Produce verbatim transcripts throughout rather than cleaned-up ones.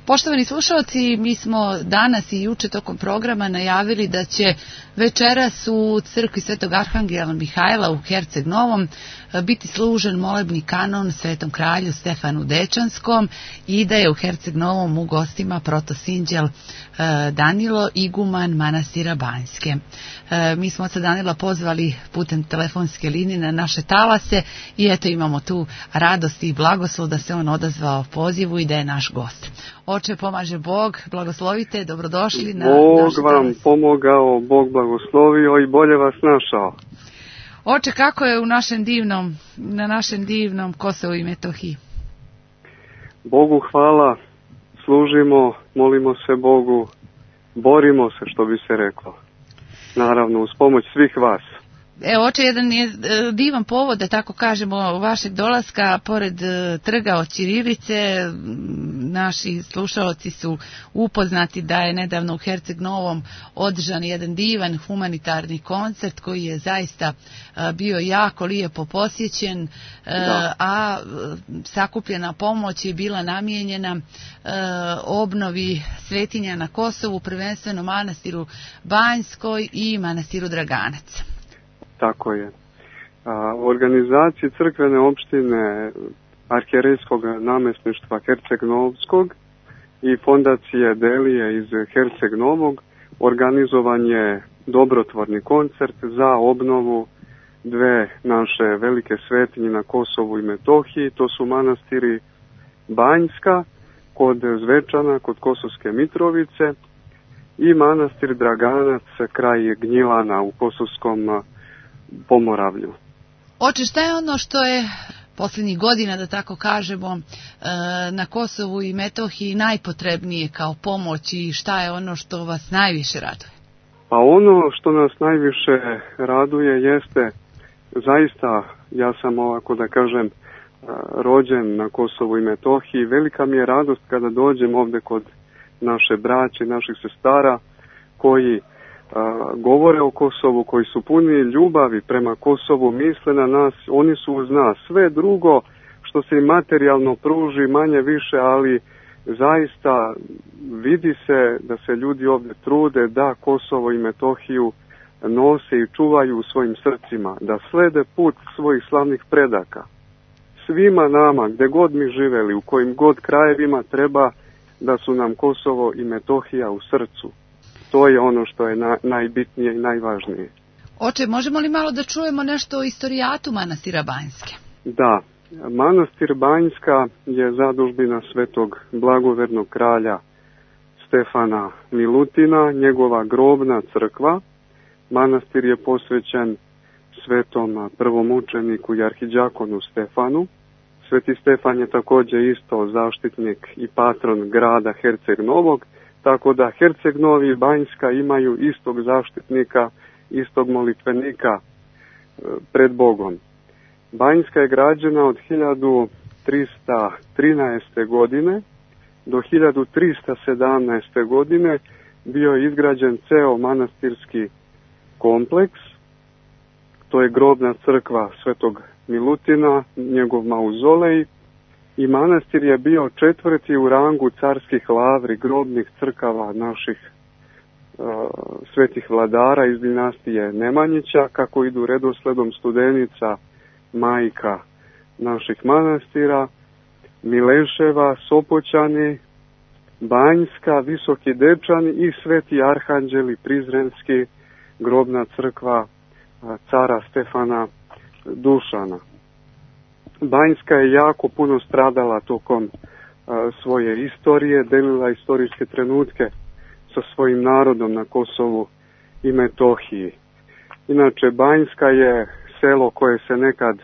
Poštovani slušalci, mi smo danas i juče tokom programa najavili da će večeras u crkvi Svetog Arhangela Mihajla u Herceg Novom biti služen molebni kanon Svetom kralju Stefanu Dečanskom i da je u Herceg Novom u gostima protosinđel Danilo, iguman manastira Banjske. Mi smo oca Danila pozvali putem telefonske linije na naše talase i eto imamo tu radost i blagoslov da se on odazvao pozivu i da je naš gost. Oče, pomaže Bog, blagoslovite, dobrodošli na Bog naše vam talase. Pomogao, Bog blagoslovio i bolje vas našao. Oče, kako je u našem divnom, na našem divnom Kosovu i Metohiji? Bogu hvala, služimo, molimo se Bogu, borimo se, što bi se reklo. Naravno, uz pomoć svih vas. Evo, oče, jedan je divan povod, da tako kažemo, vašeg dolaska, pored trga od ćirilice. Naši slušalci su upoznati da je nedavno u Herceg Novom održan jedan divan humanitarni koncert koji je zaista bio jako lijepo posjećen, da. a sakupljena pomoć je bila namijenjena obnovi svetinja na Kosovu, prvenstveno manastiru Banjskoj i manastiru Draganac. Tako je. U organizaciji crkvene opštine arhijerejskog namjesništva Herceg Novskog i fondacije Delije iz Herceg Novog organizovan je dobrotvorni koncert za obnovu dve naše velike svetinje na Kosovu i Metohiji. To su manastiri Banjska kod Zvečana, kod Kosovske Mitrovice, i manastir Draganac kraj Gnjilana u Kosovskom Pomoravlju. Oče, šta je ono što je posljednjih godina, da tako kažemo, na Kosovu i Metohiji najpotrebnije kao pomoć i šta je ono što vas najviše raduje? Pa ono što nas najviše raduje jeste, zaista, ja sam ovako da kažem rođen na Kosovu i Metohiji, velika mi je radost kada dođem ovdje kod naše braće, naših sestara koji a, govore o Kosovu, koji su puni ljubavi prema Kosovu, misle na nas, oni su uz nas. Sve drugo što se im materijalno pruži manje više, ali zaista vidi se da se ljudi ovdje trude da Kosovo i Metohiju nose i čuvaju u svojim srcima, da slede put svojih slavnih predaka. Svima nama, gdje god mi živeli, u kojim god krajevima, treba da su nam Kosovo i Metohija u srcu. To je ono što je na, najbitnije i najvažnije. Oče, možemo li malo da čujemo nešto o istorijatu manastira Banjske? Da, manastir Banjska je zadužbina svetog blagovernog kralja Stefana Milutina, njegova grobna crkva. Manastir je posvećen svetom prvomučeniku i arhidjakonu Stefanu. Sveti Stefan je također isto zaštitnik i patron grada Herceg Novog, tako da Herceg Novi i Banjska imaju istog zaštitnika, istog molitvenika pred Bogom. Banjska je građena od hiljadu trista trinaeste. godine do hiljadu trista sedamnaeste. godine. Bio je izgrađen ceo manastirski kompleks. To je grobna crkva svetog Milutina, njegov mauzolej, i manastir je bio četvrti u rangu carskih lavri, grobnih crkava naših uh, svetih vladara iz dinastije Nemanjića, kako idu redosledom Studenica, majka naših manastira, Mileševa, Sopoćani, Banjska, Visoki Dečani i Sveti Arhanđeli Prizrenski, grobna crkva uh, cara Stefana Dušana. Banjska je jako puno stradala tokom uh, svoje istorije, delila istorijske trenutke sa svojim narodom na Kosovu i Metohiji. Inače, Banjska je selo koje se nekad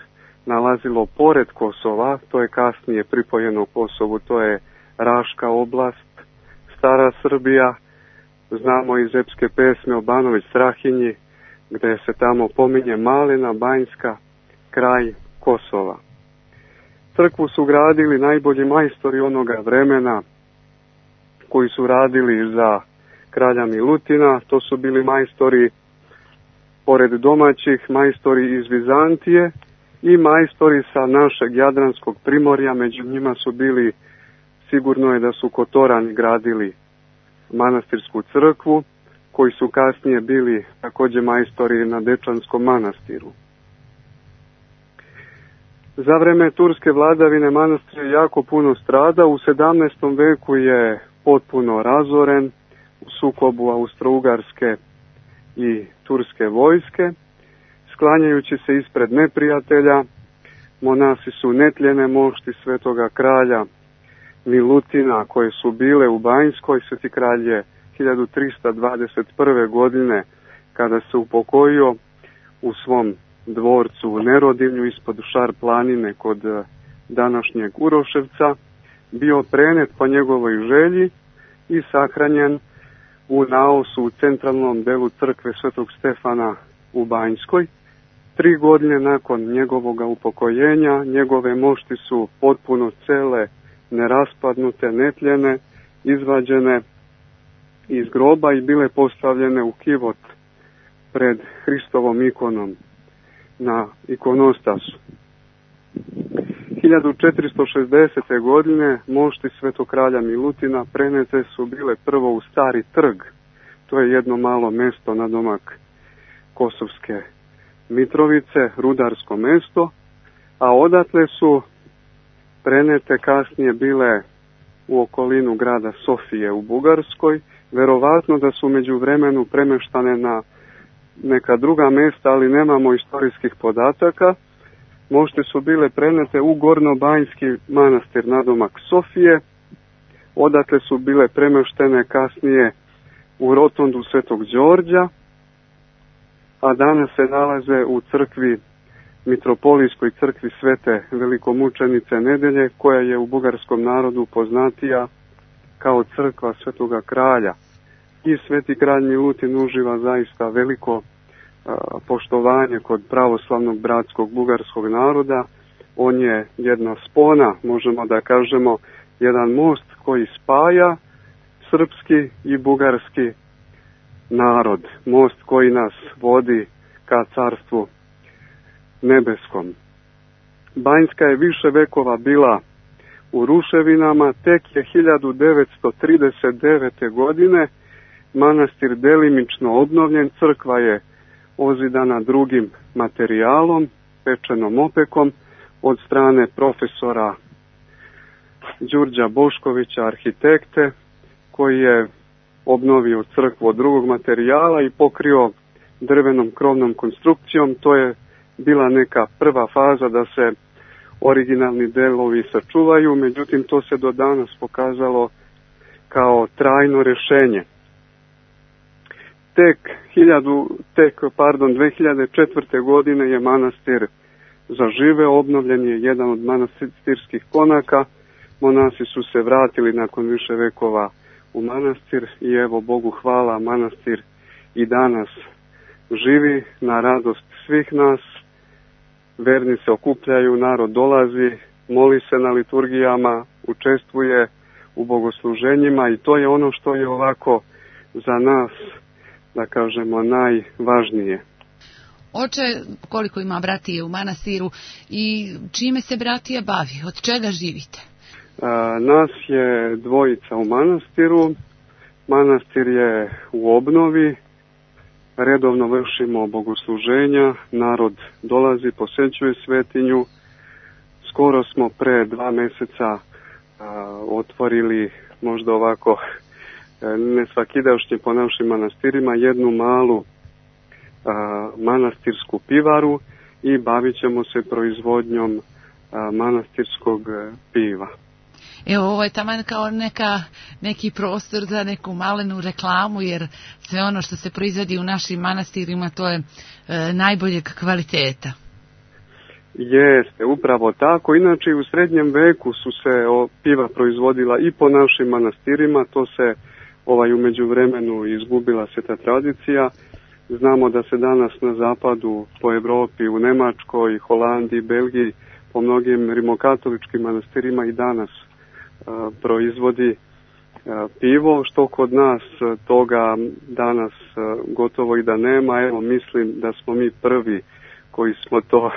nalazilo pored Kosova, to je kasnije pripojeno Kosovu, to je Raška oblast, Stara Srbija, znamo iz epske pesme o Banović Strahinji, gde se tamo pominje Malina Banjska, kraj Kosova. Crkvu su gradili najbolji majstori onoga vremena koji su radili za kralja Milutina. To su bili majstori, pored domaćih, majstori iz Vizantije i majstori sa našeg Jadranskog primorja. Među njima su bili Sigurno je da su Kotorani gradili manastirsku crkvu, koji su kasnije bili također majstori na Dečanskom manastiru. Za vreme turske vladavine manastir je jako puno strada. U sedamnaestom veku je potpuno razoren u sukobu Austro-Ugarske i turske vojske. Sklanjajući se ispred neprijatelja, monasi su netljene mošti svetoga kralja Milutina, koje su bile u Banjskoj. Sveti kralj je hiljadu trista dvadeset prve. godine, kada se upokojio u svom dvorcu u Nerodinju ispod Šar planine kod današnjeg Uroševca, bio prenet po njegovoj želji i sahranjen u naosu u centralnom delu crkve Svetog Stefana u Banjskoj. Tri godine nakon njegovog upokojenja, njegove mošti su potpuno cele, neraspadnute, netljene, izvađene iz groba i bile postavljene u kivot pred Hristovom ikonom na ikonostasu. hiljadu četiristo šezdesete. godine mošti svetog kralja Milutina prenete su bile prvo u Stari trg. To je jedno malo mesto na domak Kosovske Mitrovice, rudarsko mesto, a odatle su prenete kasnije bile u okolinu grada Sofije u Bugarskoj. Verovatno da su među vremenu premeštane na neka druga mesta, ali nemamo istorijskih podataka. Mošti su bile prenete u Gornobanjski manastir nadomak Sofije, odatle su bile premeštene kasnije u rotondu Svetog Đorđa, a danas se nalaze u crkvi, mitropolijskoj crkvi Svete velikomučenice Nedelje, koja je u bugarskom narodu poznatija kao crkva Svetoga kralja. I sveti kralj Milutin uživa zaista veliko a, poštovanje kod pravoslavnog bratskog bugarskog naroda. On je jedna spona, možemo da kažemo, jedan most koji spaja srpski i bugarski narod. Most koji nas vodi ka carstvu nebeskom. Banjska je više vekova bila u ruševinama, tek je hiljadu devetsto trideset devete. godine manastir delimično obnovljen, crkva je ozidana drugim materijalom, pečenom opekom, od strane profesora Đurđa Boškovića, arhitekte, koji je obnovio crkvu od drugog materijala i pokrio drvenom krovnom konstrukcijom. To je bila neka prva faza da se originalni delovi sačuvaju, međutim to se do danas pokazalo kao trajno rješenje. Tek, hiljadu, tek pardon, dve hiljade četvrte. godine je manastir zaživeo, obnovljen je jedan od manastirskih konaka, monasi su se vratili nakon više vekova u manastir i evo Bogu hvala, manastir i danas živi na radost svih nas. Verni se okupljaju, narod dolazi, moli se na liturgijama, učestvuje u bogosluženjima i to je ono što je ovako za nas, da kažemo, najvažnije. Oče, koliko ima bratije u manastiru i čime se bratija bavi? Od čega živite? A, nas je dvojica u manastiru. Manastir je u obnovi. Redovno vršimo bogosluženja. Narod dolazi, posećuje svetinju. Skoro smo pre dva meseca a, otvorili, možda ovako ne svakidašnje po našim manastirima, jednu malu a, manastirsku pivaru i bavit ćemo se proizvodnjom a, manastirskog piva. Evo, ovo je taman kao neka, neki prostor za neku malenu reklamu, jer sve ono što se proizvodi u našim manastirima, to je e, najboljeg kvaliteta. Jeste, upravo tako. Inače, u srednjem veku su se o, piva proizvodila i po našim manastirima, to se ovaj, u međuvremenu izgubila se ta tradicija. Znamo da se danas na zapadu, po Evropi, u Nemačkoj, Holandiji, Belgiji, po mnogim rimokatoličkim manastirima i danas a, proizvodi a, pivo, što kod nas a, toga danas a, gotovo i da nema. Evo, mislim da smo mi prvi koji smo to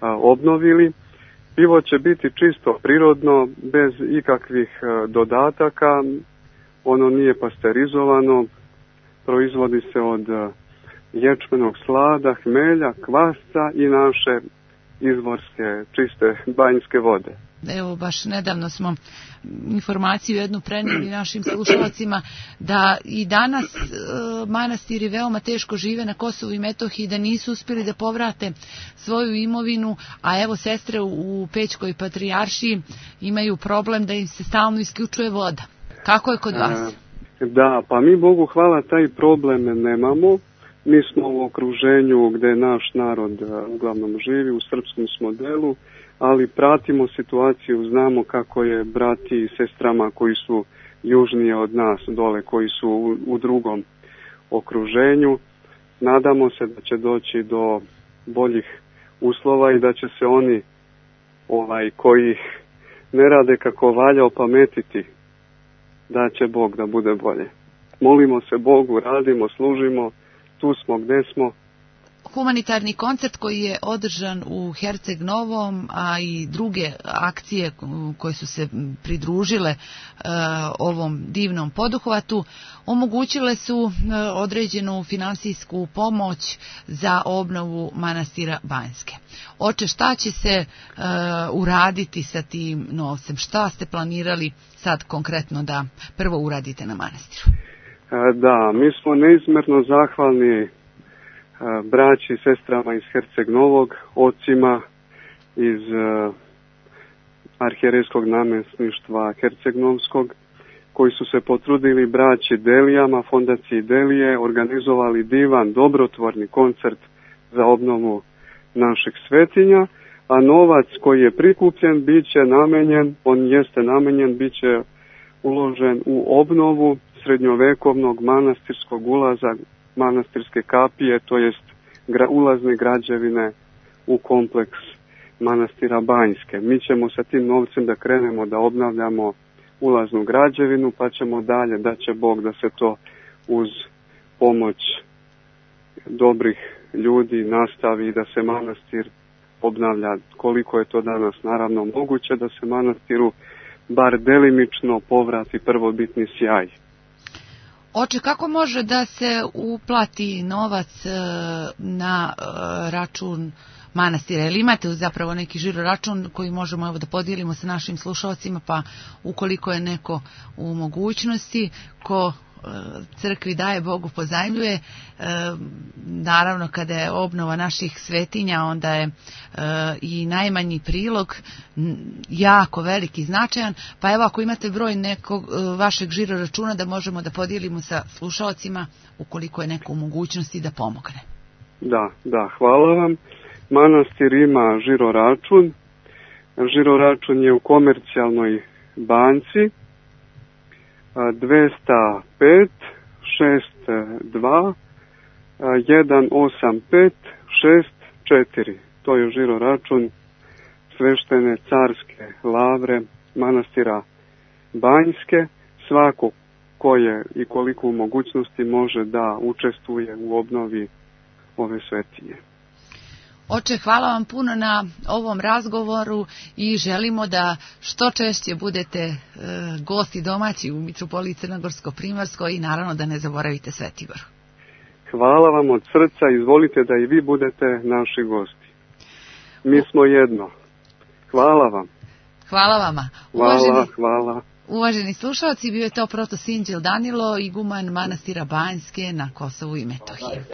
a, obnovili. Pivo će biti čisto prirodno, bez ikakvih dodataka, ono nije pasterizovano, proizvodi se od ječmenog slada, hmelja, kvasca i naše izvorske, čiste banjske vode. Evo, baš nedavno smo informaciju jednu prenijeli našim slušalcima da i danas e, manastiri veoma teško žive na Kosovu i Metohiji, da nisu uspjeli da povrate svoju imovinu, a evo sestre u, u Pećkoj patrijaršiji imaju problem da im se stalno isključuje voda. Kako je kod vas? E, da, pa mi Bogu hvala taj problem nemamo. Mi smo u okruženju gdje naš narod uglavnom živi, u srpskom smo delu, ali pratimo situaciju, znamo kako je brati i sestrama koji su južnije od nas dole, koji su u, u drugom okruženju. Nadamo se da će doći do boljih uslova i da će se oni ovaj, koji ne rade kako valja opametiti, da će Bog da bude bolje. Molimo se Bogu, radimo, služimo, tu smo gdje smo. Humanitarni koncert koji je održan u Herceg Novom, a i druge akcije koje su se pridružile e, ovom divnom poduhvatu, omogućile su e, određenu finansijsku pomoć za obnovu manastira Banjske. Oče, šta će se e, uraditi sa tim novcem? Šta ste planirali sad konkretno da prvo uradite na manastiru? E, da, mi smo neizmjerno zahvalni braći i sestrama iz Herceg Novog, ocima iz uh, arhijerejskog namjesništva Herceg Novskog, koji su se potrudili braći Delijama, fondaciji Delije, organizovali divan, dobrotvorni koncert za obnovu naših svetinja, a novac koji je prikupljen bit će namenjen, on jeste namenjen, bit će uložen u obnovu srednjovekovnog manastirskog ulaza, manastirske kapije, to jest gra, ulazne građevine u kompleks manastira Banjske. Mi ćemo sa tim novcem da krenemo da obnavljamo ulaznu građevinu, pa ćemo dalje, da će Bog da se to uz pomoć dobrih ljudi nastavi i da se manastir obnavlja koliko je to danas naravno moguće, da se manastiru bar delimično povrati prvobitni sjaj. Oče, kako može da se uplati novac na račun manastira? Ili imate zapravo neki žiro račun koji možemo evo da podijelimo sa našim slušalcima, pa ukoliko je neko u mogućnosti, ko crkvi daje, Bogu pozajmljuje. Naravno, kada je obnova naših svetinja, onda je i najmanji prilog jako veliki i značajan. Pa evo, ako imate broj nekog vašeg žiro računa da možemo da podijelimo sa slušalcima, ukoliko je neko u mogućnosti da pomogne. Da, da, hvala vam. Manastir ima žiro račun. Žiro račun je u Komercijalnoj banci dvesta pet šest dva jedan osam pet šest četiri. To je žiro račun sveštene carske lavre manastira Banjske. Svako ko je i koliko u mogućnosti može da učestvuje u obnovi ove svetinje. Oče, hvala vam puno na ovom razgovoru i želimo da što češće budete e, gosti domaći u Mitropoliji Crnogorsko-Primorskoj i naravno da ne zaboravite Svetigoru. Hvala vam od srca, izvolite da i vi budete naši gosti. Mi smo jedno. Hvala vam. Hvala vama. Uvaženi, hvala, hvala. Uvaženi slušalci, bio je to protosinđel Danilo, iguman manastira Banjske na Kosovu i Metohiji.